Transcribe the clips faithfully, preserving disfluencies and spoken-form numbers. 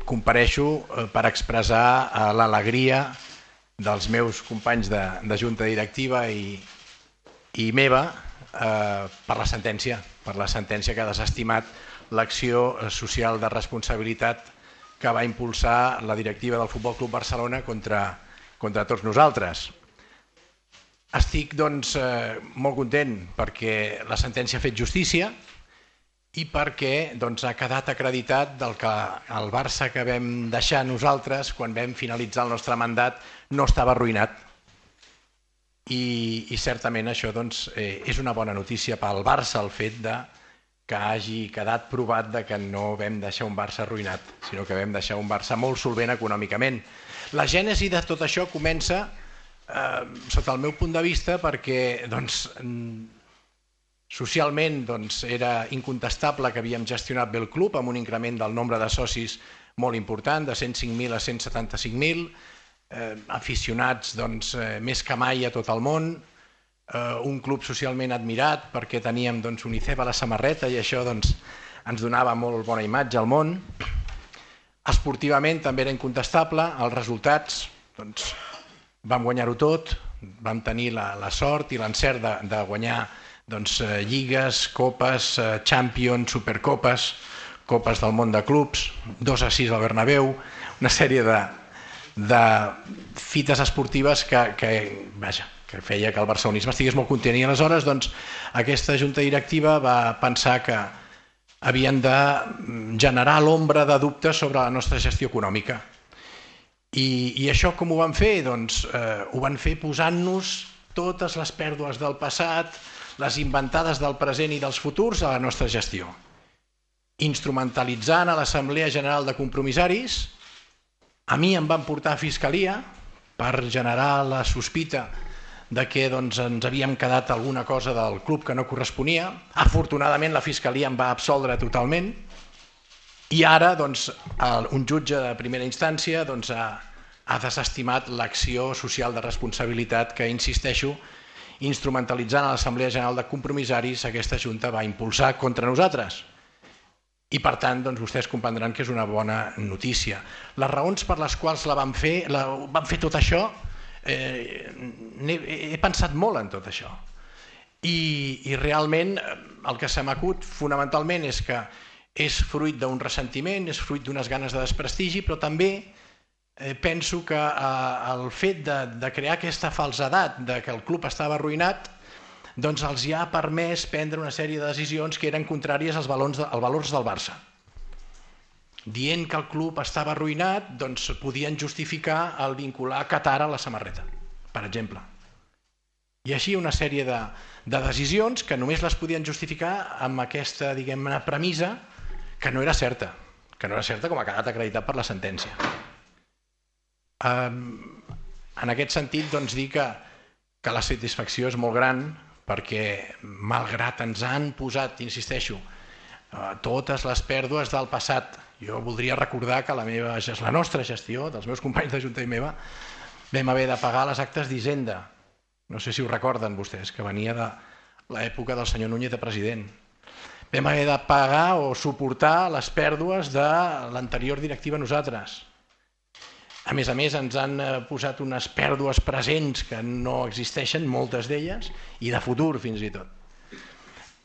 compareixo per expressar l'alegria dels meus companys de, de junta directiva i, i meva eh, per la sentència, per la sentència que ha desestimat l'acció social de responsabilitat que va impulsar la directiva del Futbol Club Barcelona contra, contra tots nosaltres. Estic doncs, eh, molt content perquè la sentència ha fet justícia i perquè doncs, ha quedat acreditat del que el Barça que vam deixar nosaltres quan vam finalitzar el nostre mandat no estava arruïnat. I, i certament això doncs, eh, és una bona notícia pel Barça el fet de que hagi quedat provat de que no vam deixar un Barça arruïnat, sinó que vam deixar un Barça molt solvent econòmicament. La gènesi de tot això comença, eh, sota el meu punt de vista, perquè doncs, socialment doncs, era incontestable que havíem gestionat bé el club amb un increment del nombre de socis molt important, de cent cinc mil a cent setanta-cinc mil, eh, aficionats doncs, eh, més que mai a tot el món, eh, un club socialment admirat perquè teníem doncs, UNICEF a la samarreta i això doncs, ens donava molt bona imatge al món. Esportivament també era incontestable, els resultats doncs, vam guanyar-ho tot, vam tenir la, la sort i l'encert de, de guanyar doncs, eh, lligues, copes, eh, Champions, Supercopes, copes del món de clubs, dos a sis al Bernabéu, una sèrie de, de fites esportives que, que, vaja, que feia que el barcelonisme estigués molt content. I aleshores doncs, aquesta junta directiva va pensar que havien de generar l'ombra de dubtes sobre la nostra gestió econòmica. I, i això com ho van fer? Doncs eh, ho van fer posant-nos totes les pèrdues del passat, les inventades del present i dels futurs a la nostra gestió. Instrumentalitzant a l'Assemblea General de Compromissaris, a mi em van portar a Fiscalia per generar la sospita de que doncs, ens havíem quedat alguna cosa del club que no corresponia. Afortunadament la Fiscalia em va absoldre totalment i ara doncs, un jutge de primera instància doncs, ha, ha desestimat l'acció social de responsabilitat que, insisteixo, instrumentalitzant a l'Assemblea General de Compromissaris, aquesta Junta va impulsar contra nosaltres. I per tant, doncs, vostès comprendran que és una bona notícia. Les raons per les quals la vam fer, la, vam fer tot això, eh, he, he pensat molt en tot això. I, i realment el que se m'acut fonamentalment és que és fruit d'un ressentiment, és fruit d'unes ganes de desprestigi, però també Eh, penso que eh, el fet de, de crear aquesta falsedat de que el club estava arruïnat doncs els hi ha permès prendre una sèrie de decisions que eren contràries als valors, de, als valors del Barça. Dient que el club estava arruïnat doncs podien justificar el vincular Qatar a la samarreta, per exemple. I així una sèrie de, de decisions que només les podien justificar amb aquesta, diguem-ne, premissa que no era certa, que no era certa com ha quedat acreditat per la sentència. En aquest sentit, doncs, dir que, que la satisfacció és molt gran perquè, malgrat ens han posat, insisteixo, totes les pèrdues del passat, jo voldria recordar que la, meva, la nostra gestió, dels meus companys de Junta i meva, vam haver de pagar les actes d'Hisenda. No sé si ho recorden vostès, que venia de l'època del senyor Núñez de president. Vam haver de pagar o suportar les pèrdues de l'anterior directiva nosaltres. A més a més, ens han posat unes pèrdues presents que no existeixen, moltes d'elles, i de futur fins i tot.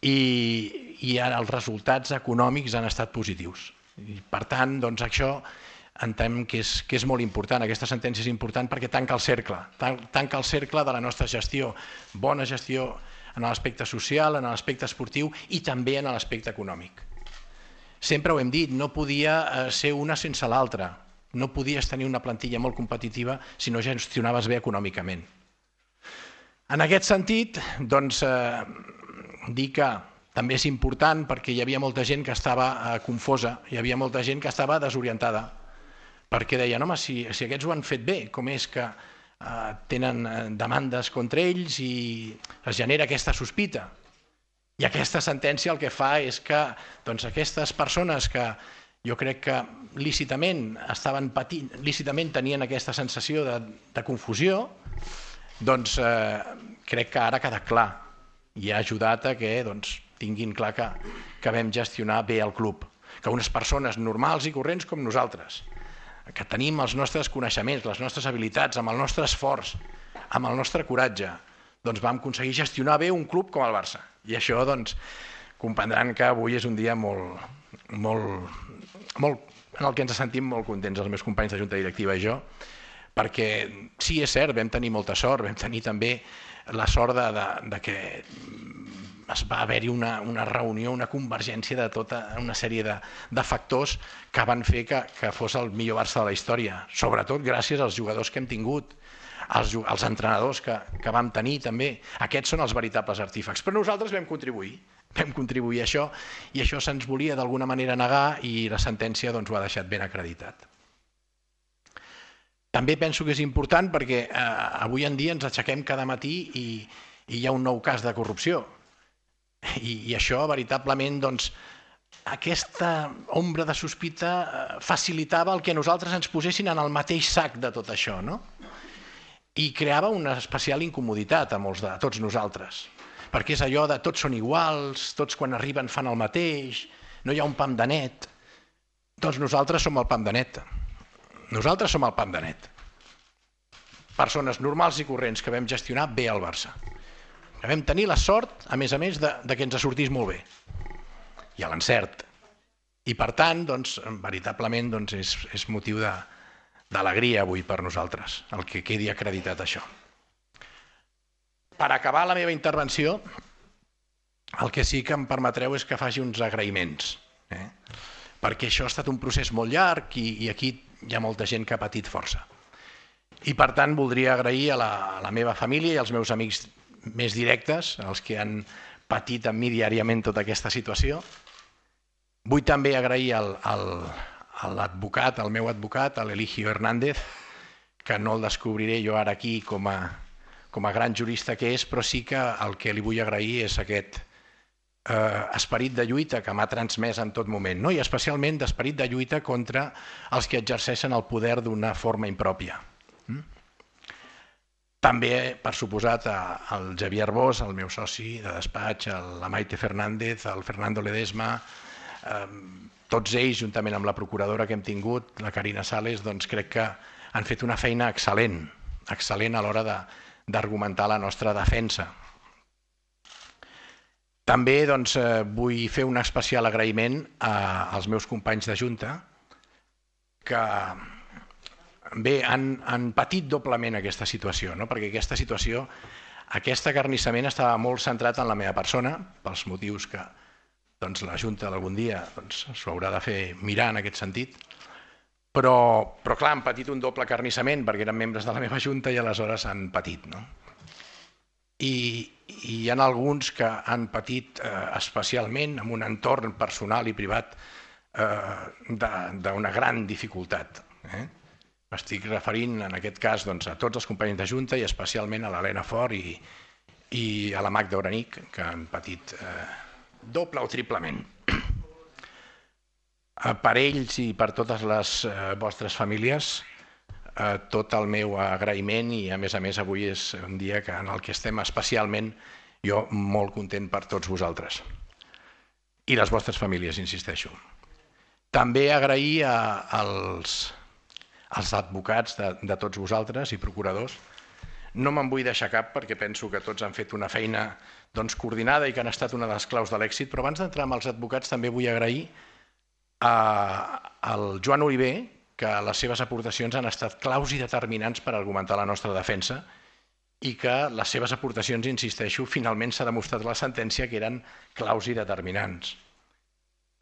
I, i ara els resultats econòmics han estat positius. I, per tant, doncs, això entenem que és, que és molt important. Aquesta sentència és important perquè tanca el cercle, tanca el cercle de la nostra gestió. Bona gestió en l'aspecte social, en l'aspecte esportiu i també en l'aspecte econòmic. Sempre ho hem dit, no podia ser una sense l'altra. No podies tenir una plantilla molt competitiva si no gestionaves bé econòmicament. En aquest sentit, doncs, eh, dir que també és important perquè hi havia molta gent que estava eh, confosa, hi havia molta gent que estava desorientada, perquè deien, home, si, si aquests ho han fet bé, com és que eh, tenen demandes contra ells i es genera aquesta sospita. I aquesta sentència el que fa és que doncs, aquestes persones que jo crec que lícitament estaven patint, lícitament tenien aquesta sensació de, de confusió, doncs eh, crec que ara ha quedat clar i ha ajudat a que doncs, tinguin clar que, que vam gestionar bé el club. que unes persones normals i corrents com nosaltres, que tenim els nostres coneixements, les nostres habilitats, amb el nostre esforç, amb el nostre coratge, doncs vam aconseguir gestionar bé un club com el Barça. I això, doncs, comprendran que avui és un dia molt, molt, molt, en el que ens sentim molt contents els meus companys de junta directiva i jo, perquè sí, és cert, vam tenir molta sort, vam tenir també la sort de, de, de que es va haver-hi una, una reunió, una convergència de tota una sèrie de, de factors que van fer que, que fos el millor Barça de la història, sobretot gràcies als jugadors que hem tingut, als, als entrenadors que, que vam tenir també. Aquests són els veritables artífecs, però nosaltres vam contribuir, vam contribuir a això i això se'ns volia d'alguna manera negar i la sentència doncs, ho ha deixat ben acreditat. També penso que és important perquè eh, avui en dia ens aixequem cada matí i, i hi ha un nou cas de corrupció. I, i això veritablement, doncs, aquesta ombra de sospita facilitava el que nosaltres ens posessin en el mateix sac de tot això, no? I creava una especial incomoditat a molts de a tots nosaltres, perquè és allò de tots són iguals, tots quan arriben fan el mateix, no hi ha un pam de net. Doncs nosaltres som el pam de net. Nosaltres som el pam de net. Persones normals i corrents que vam gestionar bé el Barça. Que vam tenir la sort, a més a més, de, de que ens sortís molt bé. I a l'encert. I per tant, doncs, veritablement, doncs, és, és motiu de, d'alegria avui per nosaltres, el que quedi acreditat això. Per acabar la meva intervenció, el que sí que em permetreu és que faci uns agraïments, eh? Perquè això ha estat un procés molt llarg i, i aquí hi ha molta gent que ha patit força. I per tant voldria agrair a la, a la meva família i als meus amics més directes, els que han patit amb mi diàriament tota aquesta situació. Vull també agrair al, al, a l'advocat, al meu advocat, a l'Eligio Hernández, que no el descobriré jo ara aquí com a, com a gran jurista que és, però sí que el que li vull agrair és aquest eh, esperit de lluita que m'ha transmès en tot moment, no? I especialment d'esperit de lluita contra els que exerceixen el poder d'una forma impròpia. Mm? També, per suposat, al Javier Bosch, el meu soci de despatx, la Maite Fernández, el Fernando Ledesma, eh, tots ells, juntament amb la procuradora que hem tingut, la Carina Sales, doncs crec que han fet una feina excel·lent, excel·lent a l'hora d'argumentar la nostra defensa. També doncs, eh, vull fer un especial agraïment a, als meus companys de Junta, que bé, han, han patit doblement aquesta situació, no? Perquè aquesta situació, aquest acarnissament estava molt centrat en la meva persona, pels motius que doncs, la Junta algun dia doncs, s'ho haurà de fer mirar en aquest sentit, però, però clar, han patit un doble acarnissament perquè eren membres de la meva Junta i aleshores han patit. No? I, i hi ha alguns que han patit eh, especialment en un entorn personal i privat eh, d'una gran dificultat. Eh? M'estic referint en aquest cas doncs, a tots els companys de Junta i especialment a l'Helena Fort i, i a la Magda Oranic, que han patit eh, doble o triplement. Per ells i per totes les eh, vostres famílies, eh, tot el meu agraïment i a més a més avui és un dia que, en el que estem especialment jo molt content per tots vosaltres i les vostres famílies, insisteixo. També agrair a, als els advocats de, de tots vosaltres i procuradors. No me'n vull deixar cap perquè penso que tots han fet una feina doncs, coordinada i que han estat una de les claus de l'èxit, però abans d'entrar amb els advocats també vull agrair a, al Joan Oliver, que les seves aportacions han estat claus i determinants per argumentar la nostra defensa i que les seves aportacions, insisteixo, finalment s'ha demostrat a la sentència que eren claus i determinants.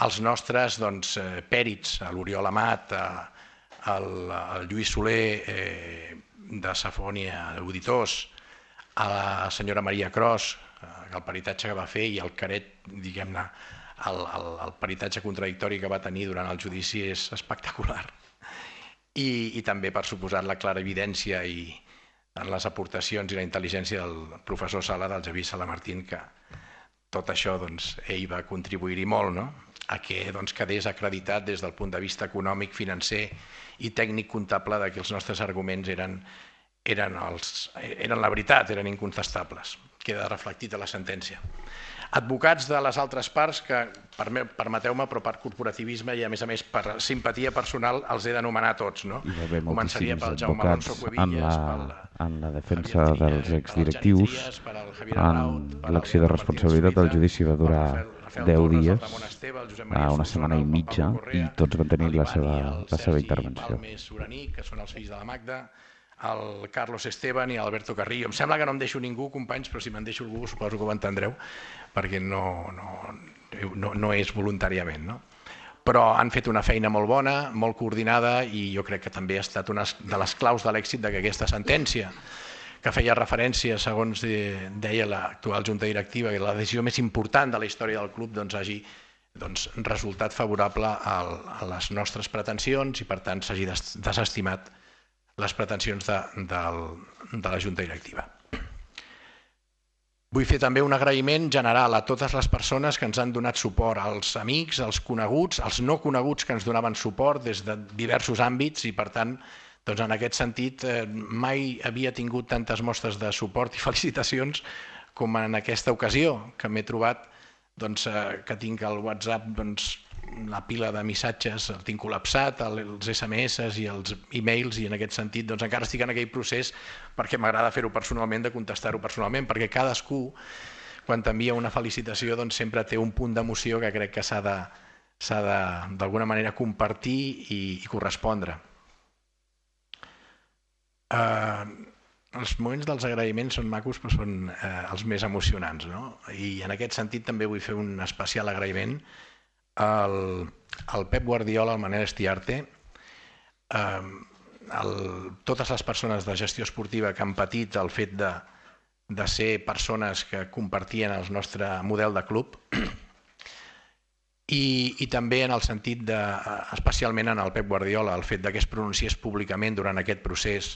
Els nostres doncs, pèrits, l'Oriol Amat, el, el Lluís Soler eh, de Safònia Auditors, a la senyora Maria Cros, eh, el peritatge que va fer i el caret, diguem-ne, el, el, el peritatge contradictori que va tenir durant el judici és espectacular. I, i també, per suposat, la clara evidència i en les aportacions i la intel·ligència del professor Sala, del Javi Salamartín, que tot això doncs, ell va contribuir-hi molt, no? A que doncs, quedés acreditat des del punt de vista econòmic, financer i tècnic comptable de que els nostres arguments eren, eren, els, eren la veritat, eren incontestables. queda reflectit a la sentència. Advocats de les altres parts que, permeteu-me, però per corporativisme i a més a més per simpatia personal els he d'anomenar tots. Començaria pel Jaume Alonso Cuevillas, en la defensa dels exdirectius, en l'acció de responsabilitat del judici va durar deu dies, una setmana i mitja, i tots van tenir la seva intervenció. Que són els fills de la Magda, el Carlos Esteban i Alberto Carrillo. Em sembla que no em deixo ningú, companys, però si me'n deixo algú suposo que ho entendreu, perquè no, no, no, no és voluntàriament. No? Però han fet una feina molt bona, molt coordinada, i jo crec que també ha estat una de les claus de l'èxit d'aquesta sentència, que feia referència, segons deia l'actual Junta Directiva, que la decisió més important de la història del club doncs, hagi doncs, resultat favorable a, a les nostres pretensions i per tant s'hagi desestimat les pretensions de, de, de la Junta Directiva. Vull fer també un agraïment general a totes les persones que ens han donat suport, als amics, als coneguts, als no coneguts que ens donaven suport des de diversos àmbits i per tant, doncs en aquest sentit, eh, mai havia tingut tantes mostres de suport i felicitacions com en aquesta ocasió, que m'he trobat doncs, eh, que tinc el WhatsApp, doncs, la pila de missatges el tinc col·lapsat, els esse eme esse i els e-mails, i en aquest sentit doncs, encara estic en aquell procés perquè m'agrada fer-ho personalment, de contestar-ho personalment, perquè cadascú, quan t'envia una felicitació, doncs, sempre té un punt d'emoció que crec que s'ha de, s'ha de, d'alguna manera, compartir i, i correspondre. Eh, els moments dels agraïments són macos, però són eh, els més emocionants, no? I en aquest sentit també vull fer un especial agraïment al, al Pep Guardiola, al Manel Estiarte, eh, el, totes les persones de gestió esportiva que han patit el fet de, de ser persones que compartien el nostre model de club i, i també en el sentit de, especialment en el Pep Guardiola, el fet de que es pronunciés públicament durant aquest procés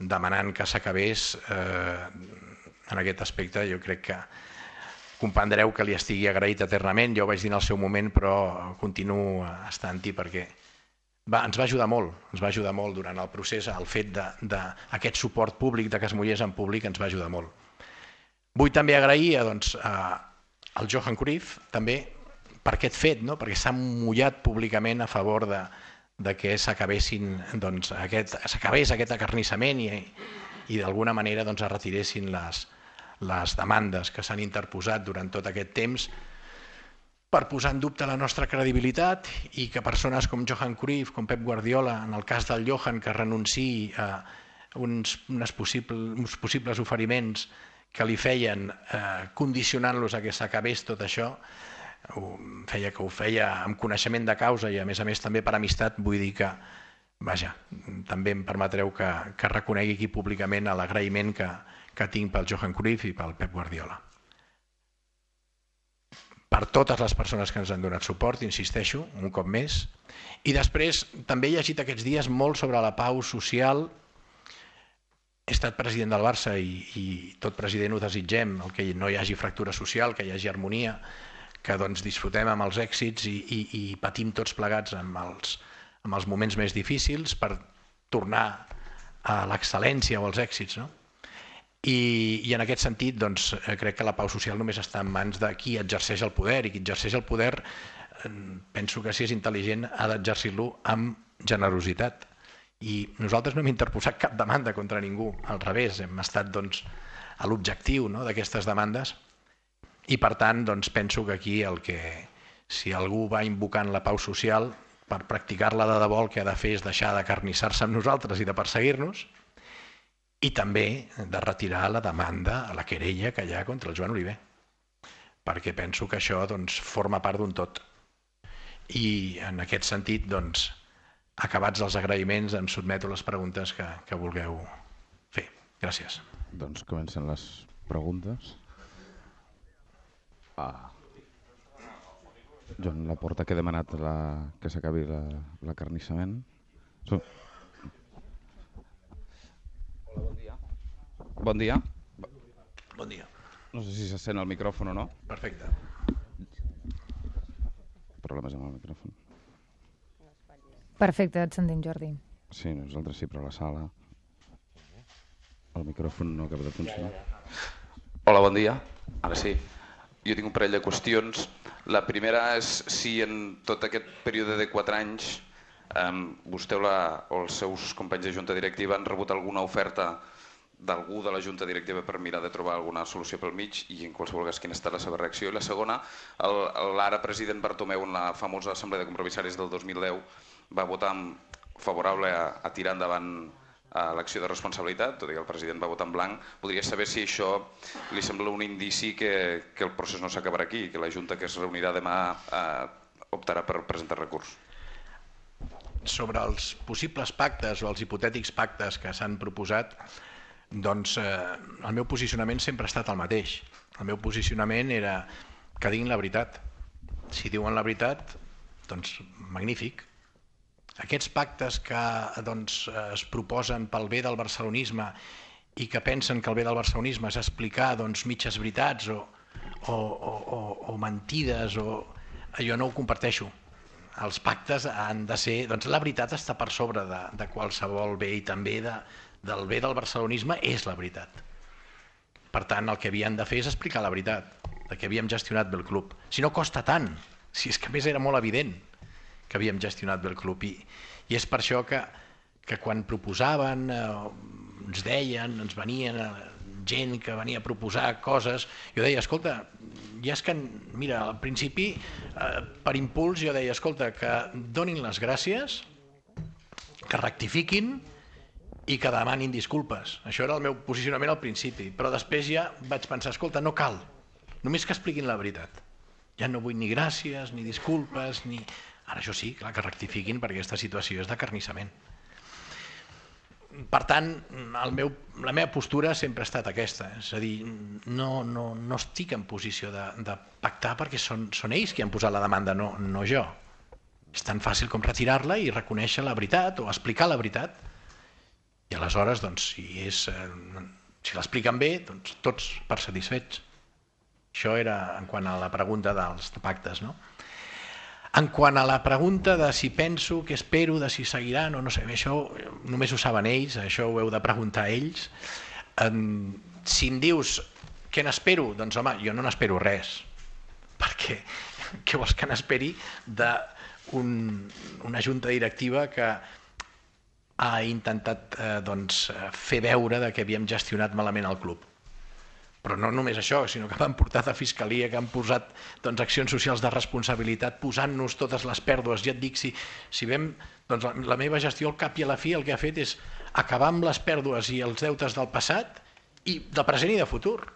demanant que s'acabés, eh, en aquest aspecte jo crec que comprendreu que li estigui agraït eternament, jo ho vaig dir en el seu moment, però continuo estant-hi perquè va, ens va ajudar molt, ens va ajudar molt durant el procés, el fet d'aquest suport públic, de que es mullés en públic, ens va ajudar molt. Vull també agrair doncs, al Johan Cruyff, també, per aquest fet, no? Perquè s'ha mullat públicament a favor de, de que s'acabessin, doncs, aquest, s'acabés aquest acarnissament i, i d'alguna manera doncs, es retiressin les les demandes que s'han interposat durant tot aquest temps per posar en dubte la nostra credibilitat i que persones com Johan Cruyff, com Pep Guardiola, en el cas del Johan, que renunciï a uns, unes possibles, uns possibles oferiments que li feien eh, condicionant-los a que s'acabés tot això, feia que ho feia amb coneixement de causa i a més a més també per amistat, vull dir que, vaja, també em permetreu que, que reconegui aquí públicament l'agraïment que que tinc pel Johan Cruyff i pel Pep Guardiola. Per totes les persones que ens han donat suport, insisteixo, un cop més. I després també he llegit aquests dies molt sobre la pau social. He estat president del Barça i, i tot president ho desitgem, el que no hi hagi fractura social, que hi hagi harmonia, que doncs, disfrutem amb els èxits i, i, i patim tots plegats amb els, amb els moments més difícils per tornar a l'excel·lència o als èxits, no? I, i en aquest sentit doncs, crec que la pau social només està en mans de qui exerceix el poder i qui exerceix el poder penso que si és intel·ligent ha d'exercir-lo amb generositat i nosaltres no hem interposat cap demanda contra ningú, al revés, hem estat doncs, a l'objectiu, no, d'aquestes demandes i per tant doncs, penso que aquí el que si algú va invocant la pau social per practicar-la de debò el que ha de fer és deixar d'acarnissar-se amb nosaltres i de perseguir-nos i també de retirar la demanda a la querella que hi ha contra el Joan Oliver, perquè penso que això doncs, forma part d'un tot. I en aquest sentit, doncs, acabats els agraïments, em sotmeto a les preguntes que, que vulgueu fer. Gràcies. Doncs comencen les preguntes. Ah. Joan Laporta, que ha demanat la, que s'acabi l'acarnissament. So... Bon dia. Bon dia. Bon dia. No sé si se sent el micròfon o no. Perfecte. Problemes amb el micròfon. Perfecte, et sentim, Jordi. Sí, nosaltres sí, però a la sala el micròfon no acaba de funcionar. Hola, bon dia. Ara sí. Jo tinc un parell de qüestions. La primera és si en tot aquest període de quatre anys vostè o els seus companys de junta directiva han rebut alguna oferta d'algú de la junta directiva per mirar de trobar alguna solució pel mig i en qualsevol cas quina ha estat la seva reacció. I la segona, l'ara president Bartomeu en la famosa assemblea de compromissaris del dos mil deu va votar favorable a tirar endavant l'acció de responsabilitat, tot i que el president va votar en blanc. Voldria saber si això li sembla un indici que el procés no s'acabarà aquí, que la junta que es reunirà demà optarà per presentar recurs. Sobre els possibles pactes o els hipotètics pactes que s'han proposat, doncs el meu posicionament sempre ha estat el mateix. El meu posicionament era que diguin la veritat. Si diuen la veritat, doncs magnífic. Aquests pactes que es proposen pel bé del barcelonisme i que pensen que el bé del barcelonisme és explicar mitges veritats o mentides, jo no ho comparteixo. Els pactes han de ser... La veritat està per sobre de qualsevol bé i també del bé del barcelonisme és la veritat. Per tant, el que havien de fer és explicar la veritat, que havíem gestionat bé el club. Si no costa tant, si és que a més era molt evident que havíem gestionat bé el club. I és per això que quan proposaven, ens deien, ens venien gent que venia a proposar coses, jo deia, escolta, ja és que, mira, al principi, per impuls, jo deia, escolta, que donin les gràcies, que rectifiquin i que demanin disculpes. Això era el meu posicionament al principi, però després ja vaig pensar, escolta, no cal, només que expliquin la veritat. Ja no vull ni gràcies, ni disculpes, ni... Ara això sí, clar, que rectifiquin perquè aquesta situació és d'acarnissament. Per tant, la meva postura sempre ha estat aquesta, és a dir, no estic en posició de pactar perquè són ells qui han posat la demanda, no jo. És tan fàcil com retirar-la i reconèixer la veritat o explicar la veritat. I aleshores, si l'expliquen bé, tots per satisfets. Això era en quant a la pregunta dels pactes, no? En quant a la pregunta de si penso, què espero, de si seguiran o no sé, això només ho saben ells, això ho heu de preguntar a ells. Si em dius què n'espero, doncs home, jo no n'espero res, perquè què vols que n'esperi d'una junta directiva que ha intentat fer veure que havíem gestionat malament el club? Però no només això, sinó que m'han portat a Fiscalia, que han posat accions socials de responsabilitat, posant-nos totes les pèrdues. Ja et dic, si vam... La meva gestió al cap i a la fi el que ha fet és acabar amb les pèrdues i els deutes del passat i del present i de futur.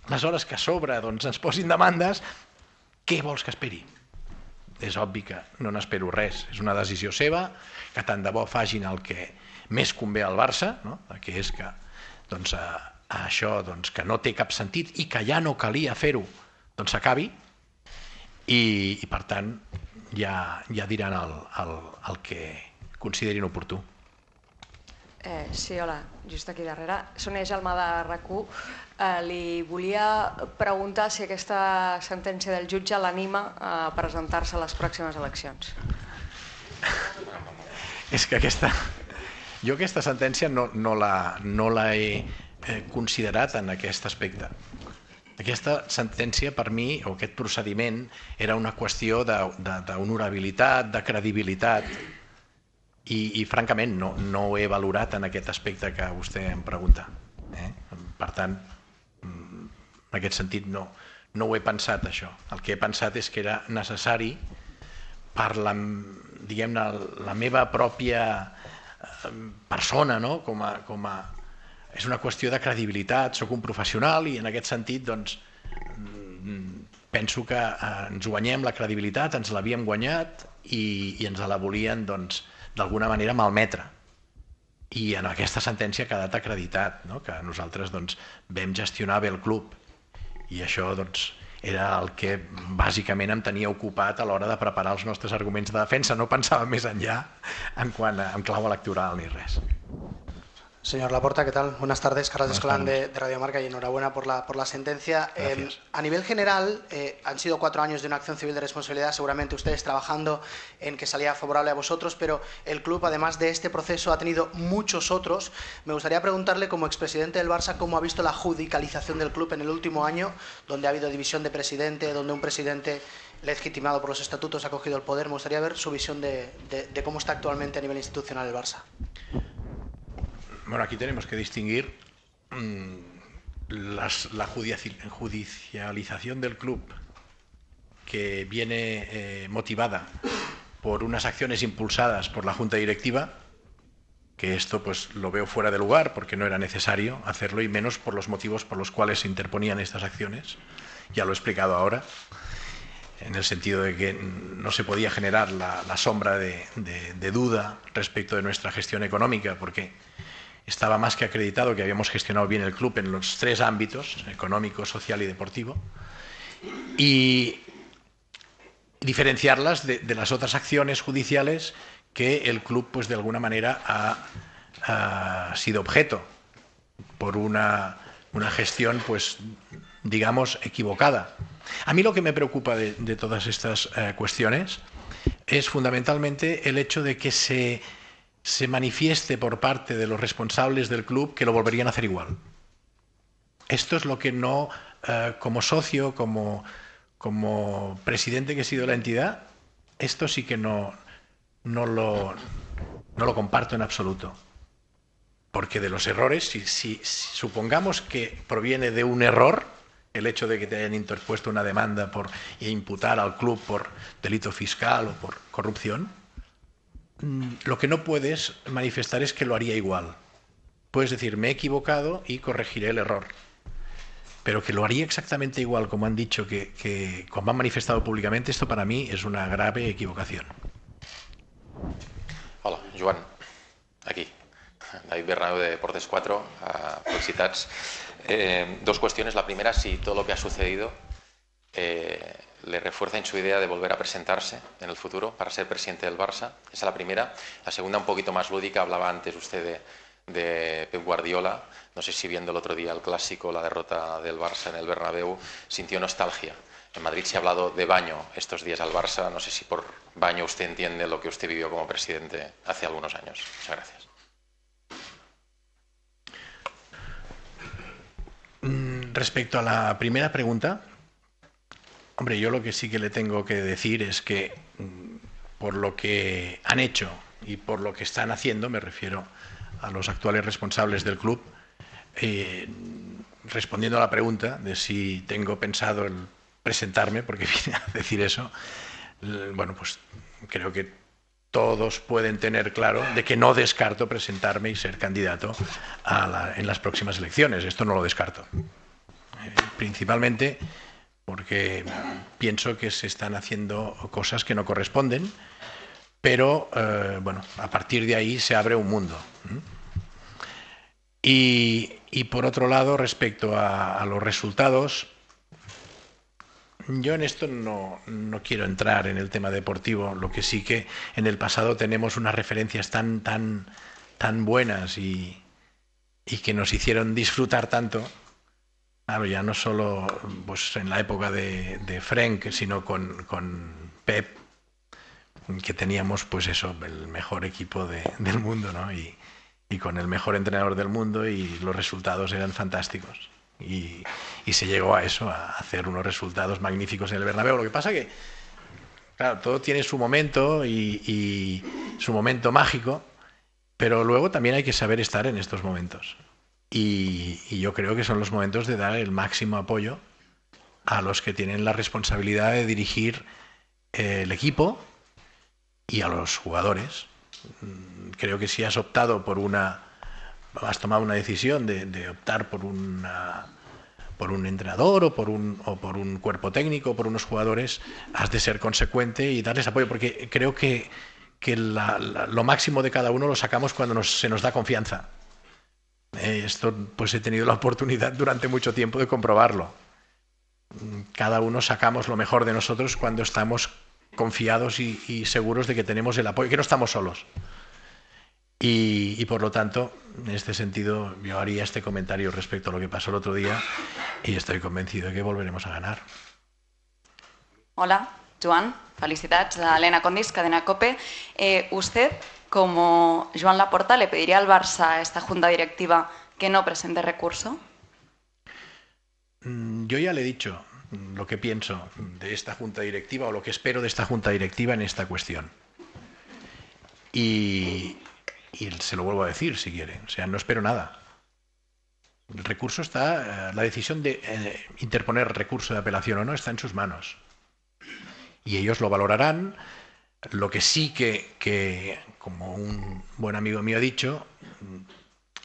Aleshores, que a sobre ens posin demandes, què vols que esperi? És obvi que no n'espero res. És una decisió seva, que tant de bo facin el que més convé al Barça, que és que això que no té cap sentit i que ja no calia fer-ho, doncs s'acabi i per tant ja diran el que considerin oportú. Sí, hola, just aquí darrere. Sonia Gelma de RAC u. Li volia preguntar si aquesta sentència del jutge l'anima a presentar-se a les pròximes eleccions. És que aquesta... Jo aquesta sentència no la he considerat en aquest aspecte. Aquesta sentència per mi, o aquest procediment, era una qüestió d'honorabilitat, de credibilitat i francament no ho he valorat en aquest aspecte que vostè em pregunta. Per tant, en aquest sentit no ho he pensat això. El que he pensat és que era necessari per la meva pròpia persona, com a és una qüestió de credibilitat, soc un professional i en aquest sentit penso que ens guanyem la credibilitat, ens l'havíem guanyat i ens la volien d'alguna manera malmetre. I en aquesta sentència ha quedat acreditat que nosaltres vam gestionar bé el club i això era el que bàsicament em tenia ocupat a l'hora de preparar els nostres arguments de defensa, no pensava més enllà en clau electoral ni res. Señor Laporta, ¿qué tal? Buenas tardes, Carlos Escolán de, de Radio Marca y enhorabuena por la, por la sentencia. Eh, a nivel general, eh, han sido cuatro años de una acción civil de responsabilidad, seguramente ustedes trabajando en que salía favorable a vosotros, pero el club, además de este proceso, ha tenido muchos otros. Me gustaría preguntarle, como expresidente del Barça, cómo ha visto la judicialización del club en el último año, donde ha habido división de presidente, donde un presidente legitimado por los estatutos ha cogido el poder. Me gustaría ver su visión de, de, de cómo está actualmente a nivel institucional el Barça. Bueno, aquí tenemos que distinguir mmm, las, la judicialización del club, que viene eh, motivada por unas acciones impulsadas por la Junta Directiva, que esto pues lo veo fuera de lugar porque no era necesario hacerlo, y menos por los motivos por los cuales se interponían estas acciones. Ya lo he explicado ahora, en el sentido de que no se podía generar la, la sombra de, de, de duda respecto de nuestra gestión económica, porque estaba más que acreditado que habíamos gestionado bien el club en los tres ámbitos, económico, social y deportivo, y diferenciarlas de, de las otras acciones judiciales que el club, pues de alguna manera, ha, ha sido objeto por una, una gestión, pues digamos, equivocada. A mí lo que me preocupa de, de todas estas eh, cuestiones es fundamentalmente el hecho de que se... se manifieste por parte de los responsables del club que lo volverían a hacer igual. Esto es lo que no, eh, como socio, como, como presidente que he sido de la entidad, esto sí que no, no, lo, no lo comparto en absoluto. Porque de los errores, si, si, si supongamos que proviene de un error, el hecho de que te hayan interpuesto una demanda por, e imputar al club por delito fiscal o por corrupción, lo que no puedes manifestar es que lo haría igual. Puedes decir, me he equivocado y corregiré el error. Pero que lo haría exactamente igual, como han dicho, que, que como han manifestado públicamente, esto para mí es una grave equivocación. Hola, Joan, aquí. David Bernabéu de Deportes cuatro, uh, felicitats. Eh, dos cuestiones. La primera, si todo lo que ha sucedido eh, le refuerza en su idea de volver a presentarse en el futuro para ser presidente del Barça. Esa es la primera. La segunda, un poquito más lúdica, hablaba antes usted de, de Pep Guardiola. No sé si viendo el otro día el clásico, la derrota del Barça en el Bernabéu, sintió nostalgia. En Madrid se ha hablado de baño estos días al Barça. No sé si por baño usted entiende lo que usted vivió como presidente hace algunos años. Muchas gracias. Respecto a la primera pregunta, hombre, yo lo que sí que le tengo que decir es que por lo que han hecho y por lo que están haciendo, me refiero a los actuales responsables del club, eh, respondiendo a la pregunta de si tengo pensado el presentarme, porque vine a decir eso, bueno, pues creo que todos pueden tener claro de que no descarto presentarme y ser candidato a la, en las próximas elecciones. Esto no lo descarto. Eh, principalmente porque pienso que se están haciendo cosas que no corresponden, pero eh, bueno, a partir de ahí se abre un mundo. Y, y por otro lado, respecto a, a los resultados, yo en esto no, no quiero entrar en el tema deportivo, lo que sí que en el pasado tenemos unas referencias tan, tan, tan buenas y, y que nos hicieron disfrutar tanto. Claro, ya no solo pues, en la época de, de Frenk, sino con, con Pep, que teníamos pues eso, el mejor equipo de, del mundo, ¿no? Y, y con el mejor entrenador del mundo, y los resultados eran fantásticos. Y, y se llegó a eso, a hacer unos resultados magníficos en el Bernabéu. Lo que pasa que, claro, todo tiene su momento y, y su momento mágico, pero luego también hay que saber estar en estos momentos. Y, y yo creo que son los momentos de dar el máximo apoyo a los que tienen la responsabilidad de dirigir eh, el equipo y a los jugadores. Creo que si has optado por una... has tomado una decisión de, de optar por una por un entrenador o por un o por un cuerpo técnico, por unos jugadores, has de ser consecuente y darles apoyo, porque creo que, que la, la, lo máximo de cada uno lo sacamos cuando nos, se nos da confianza. Eh, esto pues he tenido la oportunidad durante mucho tiempo de comprobarlo. Cada uno sacamos lo mejor de nosotros cuando estamos confiados y, y seguros de que tenemos el apoyo, que no estamos solos. Y, y por lo tanto, en este sentido yo haría este comentario respecto a lo que pasó el otro día y estoy convencido de que volveremos a ganar. Hola, Joan, felicidades. Elena Condis, Cadena COPE. Eh, usted, como Joan Laporta, ¿le pediría al Barça a esta junta directiva que no presente recurso? Yo ya le he dicho lo que pienso de esta junta directiva o lo que espero de esta junta directiva en esta cuestión. Y, y se lo vuelvo a decir si quiere. O sea, no espero nada. El recurso está, la decisión de eh, interponer recurso de apelación o no está en sus manos. Y ellos lo valorarán. Lo que sí que, que, como un buen amigo mío ha dicho,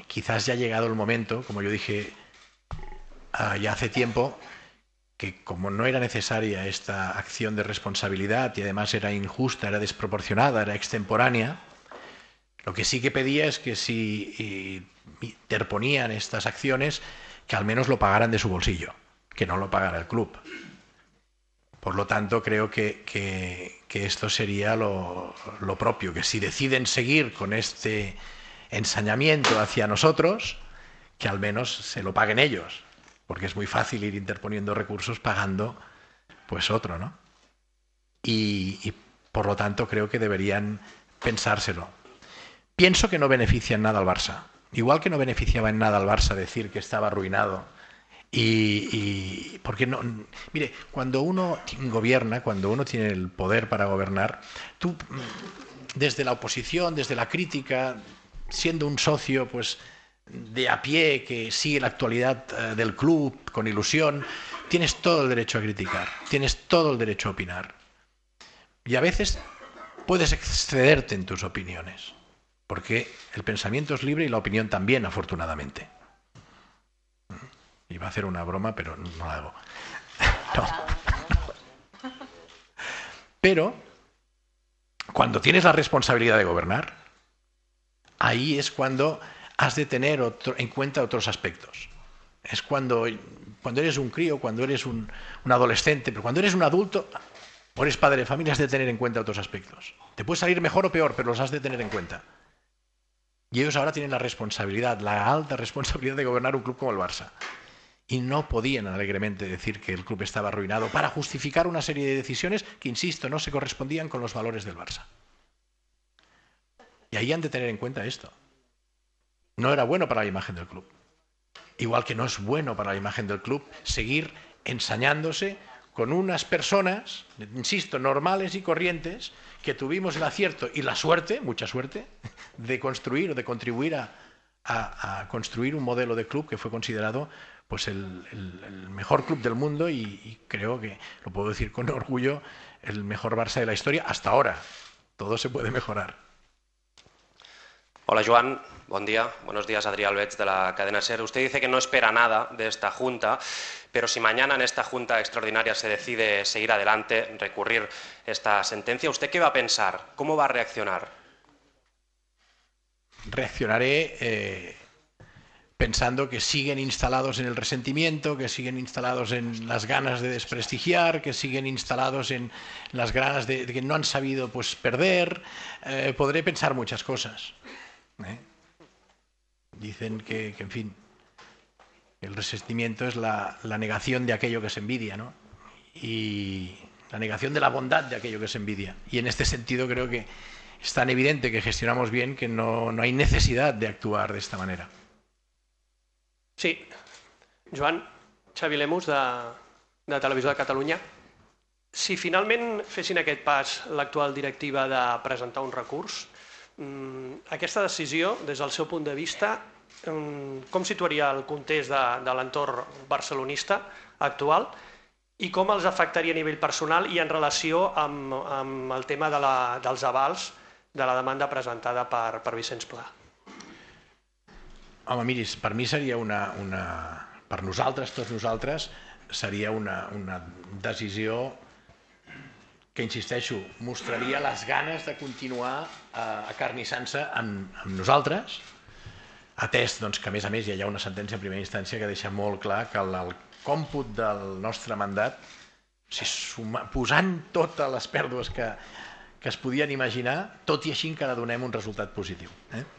quizás ya ha llegado el momento, como yo dije uh, ya hace tiempo, que como no era necesaria esta acción de responsabilidad y además era injusta, era desproporcionada, era extemporánea, lo que sí que pedía es que si interponían estas acciones, que al menos lo pagaran de su bolsillo, que no lo pagara el club. Por lo tanto, creo que, que, que esto sería lo, lo propio, que si deciden seguir con este ensañamiento hacia nosotros, que al menos se lo paguen ellos, porque es muy fácil ir interponiendo recursos pagando pues otro, ¿no? Y, y por lo tanto creo que deberían pensárselo. Pienso que no beneficia en nada al Barça, igual que no beneficiaba en nada al Barça decir que estaba arruinado. Y, y porque no, mire, cuando uno gobierna, cuando uno tiene el poder para gobernar, tú desde la oposición, desde la crítica, siendo un socio pues de a pie que sigue la actualidad uh, del club con ilusión, tienes todo el derecho a criticar, tienes todo el derecho a opinar. Y a veces puedes excederte en tus opiniones, porque el pensamiento es libre y la opinión también, afortunadamente. Iba a hacer una broma, pero no la hago. No. Pero, cuando tienes la responsabilidad de gobernar, ahí es cuando has de tener otro, en cuenta otros aspectos. Es cuando, cuando eres un crío, cuando eres un, un adolescente, pero cuando eres un adulto o eres padre de familia, has de tener en cuenta otros aspectos. Te puede salir mejor o peor, pero los has de tener en cuenta. Y ellos ahora tienen la responsabilidad, la alta responsabilidad de gobernar un club como el Barça. Y no podían alegremente decir que el club estaba arruinado para justificar una serie de decisiones que, insisto, no se correspondían con los valores del Barça. Y ahí han de tener en cuenta esto. No era bueno para la imagen del club. Igual que no es bueno para la imagen del club seguir ensañándose con unas personas, insisto, normales y corrientes, que tuvimos el acierto y la suerte, mucha suerte, de construir o de contribuir a, a, a construir un modelo de club que fue considerado pues el, el, el mejor club del mundo y, y creo que, lo puedo decir con orgullo, el mejor Barça de la historia hasta ahora. Todo se puede mejorar. Hola Joan, buen día. Buenos días, Adrià Albets de la cadena SER. Usted dice que no espera nada de esta Junta, pero si mañana en esta Junta extraordinaria se decide seguir adelante, recurrir esta sentencia, ¿usted qué va a pensar? ¿Cómo va a reaccionar? Reaccionaré eh, pensando que siguen instalados en el resentimiento, que siguen instalados en las ganas de desprestigiar, que siguen instalados en las ganas de, de que no han sabido pues, perder. Eh, podré pensar muchas cosas. ¿Eh? Dicen que, que, en fin, el resentimiento es la, la negación de aquello que se envidia, ¿no? Y la negación de la bondad de aquello que se envidia. Y en este sentido creo que es tan evidente que gestionamos bien que no, no hay necesidad de actuar de esta manera. Sí. Joan, Xavi Lemus, de, de Televisió de Catalunya. Si finalment fessin aquest pas l'actual directiva de presentar un recurs, aquesta decisió, des del seu punt de vista, com situaria el context de, de l'entorn barcelonista actual i com els afectaria a nivell personal i en relació amb, amb el tema de la, dels avals de la demanda presentada per, per Vicenç Pla? Home, miris, per mi seria una, una... per nosaltres, tots nosaltres, seria una, una decisió que, insisteixo, mostraria les ganes de continuar eh, acarnissant-se amb, amb nosaltres, atès doncs, que, a més a més, ja hi ha una sentència en primera instància que deixa molt clar que el, el còmput del nostre mandat, si suma, posant totes les pèrdues que, que es podien imaginar, tot i així encara donem un resultat positiu. Eh?